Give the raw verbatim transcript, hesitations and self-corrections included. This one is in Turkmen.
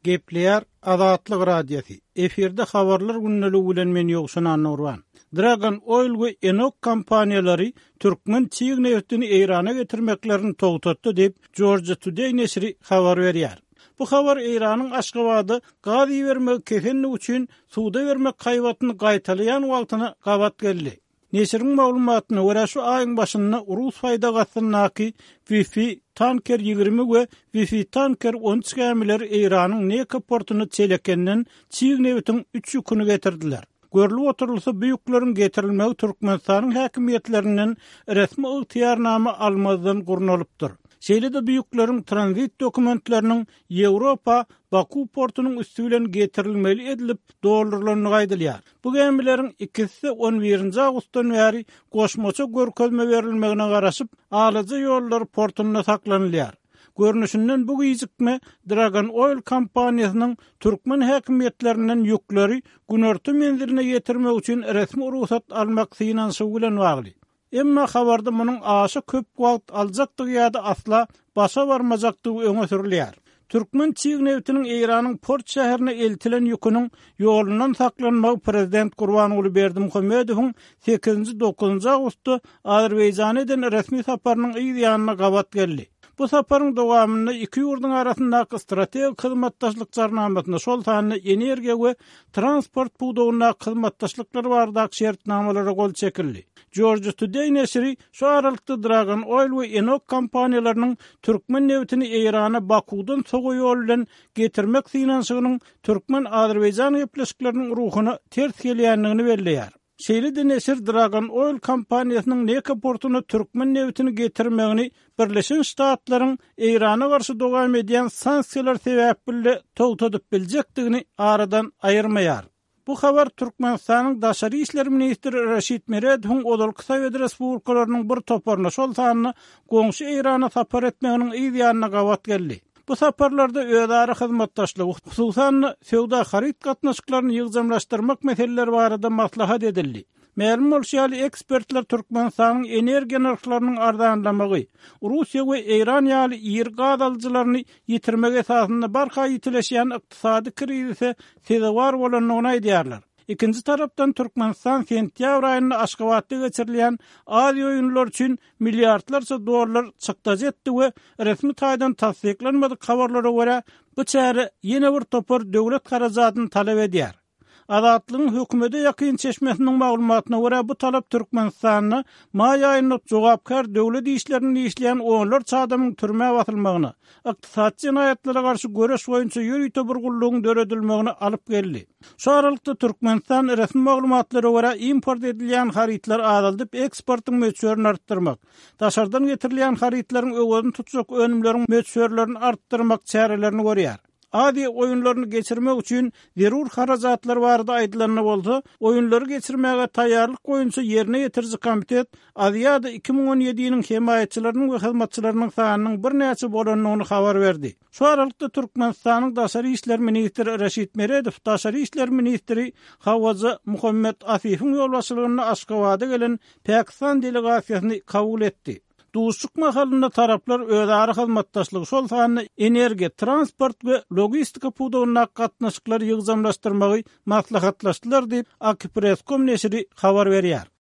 Gepleýär Azatlyk Radiosy. Efirde habarlar gündeligi bilen men Ýowşan Annagurban. Dragon Oil we Enok kompaniýalary türkmen çig neftini Eýrana getirmeklerini togtatdy diýip, Georgia Today neşiri habar berýär. Bu habar Eýranyň Aşgabada gaz ibermegi kesenligi üçin suda bermek haýbatyny gaýtalaýan wagtyna gabat geldi. Neşiriň maglumatyna görä şu aýyň başynda Rus faýda gastyndaky Wi-Fi Tanker ýigrimi we Wi-Fi Tanker on üç gämileri Eýranyň Neka portuna Çelekenden çig nebitiň üç ýüküni getirdiler. Görlüp oturylsa bu ýükleriň getirilmegi Türkmenistanyň häkimiýetlerinden resmi ygtyýarnama almazdan gurnalypdyr. Şeýle-de bu ýükleriň tranzit dokumentleriniň Ýewropa Baku portunyň üsti bilen getirilmeli edilip doldurylandygy aýdylýar. Bu gämileriň ikisi on birinji awgustdan bäri goşmaça görkezme berilmegine garaşyp, Alaja ýollar portunda saklanylýar. Görnüşinden bu gijikme Dragon Oil kompaniýasynyň türkmen häkimiýetlerinden ýükleri günorta menziline ýetirmek üçin resmi rugsat almak synanyşygy bilen bagly. Emma habarda munuň aşa köp wagt aljakdygy ýa-da asla başa barmajakdygy öňe sürülýär. Türkmen çig nebitiniň Eýranyň port şäherine eltilen ýüküniň ýolundan saklanmagy prezident Gurbanguly Berdimuhamedowyň sekizinji dokuzynjy awgustda Azerbaýjana eden resmi saparynyň yz ýanyna gabat geldi. Bu saparyň dowamynda iki ýurduň arasyndaky strategik hyzmatdaşlyk jarnamasyna, şol sanda energiýa we transport pudagyndaky hyzmatdaşlyklar baradaky şertnamalara gol çekildi. Georgia Today neşiri şu aralykda Dragon Oil we Enok kompaniýalarynyň türkmen nebitini Eýrana Bakuwdan sowa ýol bilen getirmek synanyşygynyň türkmen-azerbaýjan gepleşikleriniň ruhuna ters gelýändigini belleýär. Şeýle-de neşir Dragon Oil kompaniýasynyň Neka portuna türkmen nebitini getirmegini Birleşen Ştatlaryň Eýrana garşy dowam edýän sanksiýalar sebäpli togtadyp biljekdigini aradan aýyrmaýar. Bu habar Türkmenistanyň Daşary işler ministri Raşid Meredowyň ozalky Sowet Respublikalarynyň bir toparyna, şol sanda goňşy Eýrana sapar etmeginiň yz ýanyna gabat geldi. Bu saparlarda özara hyzmatdaşlygy, hususan söwda haryt gatnaşyklaryny ýygjamlaşdyrmak meseleleri barada maslahat edildi. Mälim bolşy ýaly ekspertler Türkmenistanyň energiýa nyrhlarynyň arzanlamagy, Russiýa we Eýran ýaly iri gaz alyjylaryny ýitirmek esasynda barha ýitileşýän ykdysady krizise sezewar bolandygyny aýdýarlar. Ikinji tarapdan Türkmenistan sentýabr aýynda Aşgabatda geçirilýän Aziýa oýunlary üçin milliardlarça dollar çykdajy etdi we resmi taýdan tassyklanmadyk habarlara görä bu çäre ýene bir topar döwlet harajadyny talap edýär. Azatlygyň hökümete ýakyn çeşmesiniň maglumatyna görä bu talap Türkmenistanda maý aýynda jogapkär döwlet işlerini işleýän onlarça adamyň türmä basylmagyna, ykdysady jenaýatlara garşy göreş boýunça ýörite bir gullugyň döredilmegine alyp geldi. Şu aralykda Türkmenistan resmi maglumatlara görä import edilýän harytlar azaldyp eksportyň möçberini artdyrmak, daşardan getirilýän harytlaryň öwezini tutjak önümleriň möçberlerini artdyrmak çärelerini görýär. Aziýa oýunlaryny geçirmek üçin zerur harajatlar barada aýdylanda bolsa, oýunlary geçirmäge taýýarlyk boýunça ýerine ýetiriji komitet Aziýada iki müň on ýediniň hemaýatçylarynyň we hyzmatçylarynyň sanynyň birnäçe bolandygyny habar berdi. Şu aralykda Türkmenistanyň Daşary işler ministri Raşid Meredow Daşary işler ministri Hawaja Muhammed Asifiň ýolbaşçylygynda Aşgabada gelen Pakistan delegasiýasyny kabul etdi. Duşuşyk mahalynda taraplar özara hyzmatdaşlygy, şol sanda energiýa, transport we logistika pudagyndaky gatnaşyklary ýygjamlaşdyrmagy maslahatlaşdylar diýip, Akipress.com neşiri habar berýär.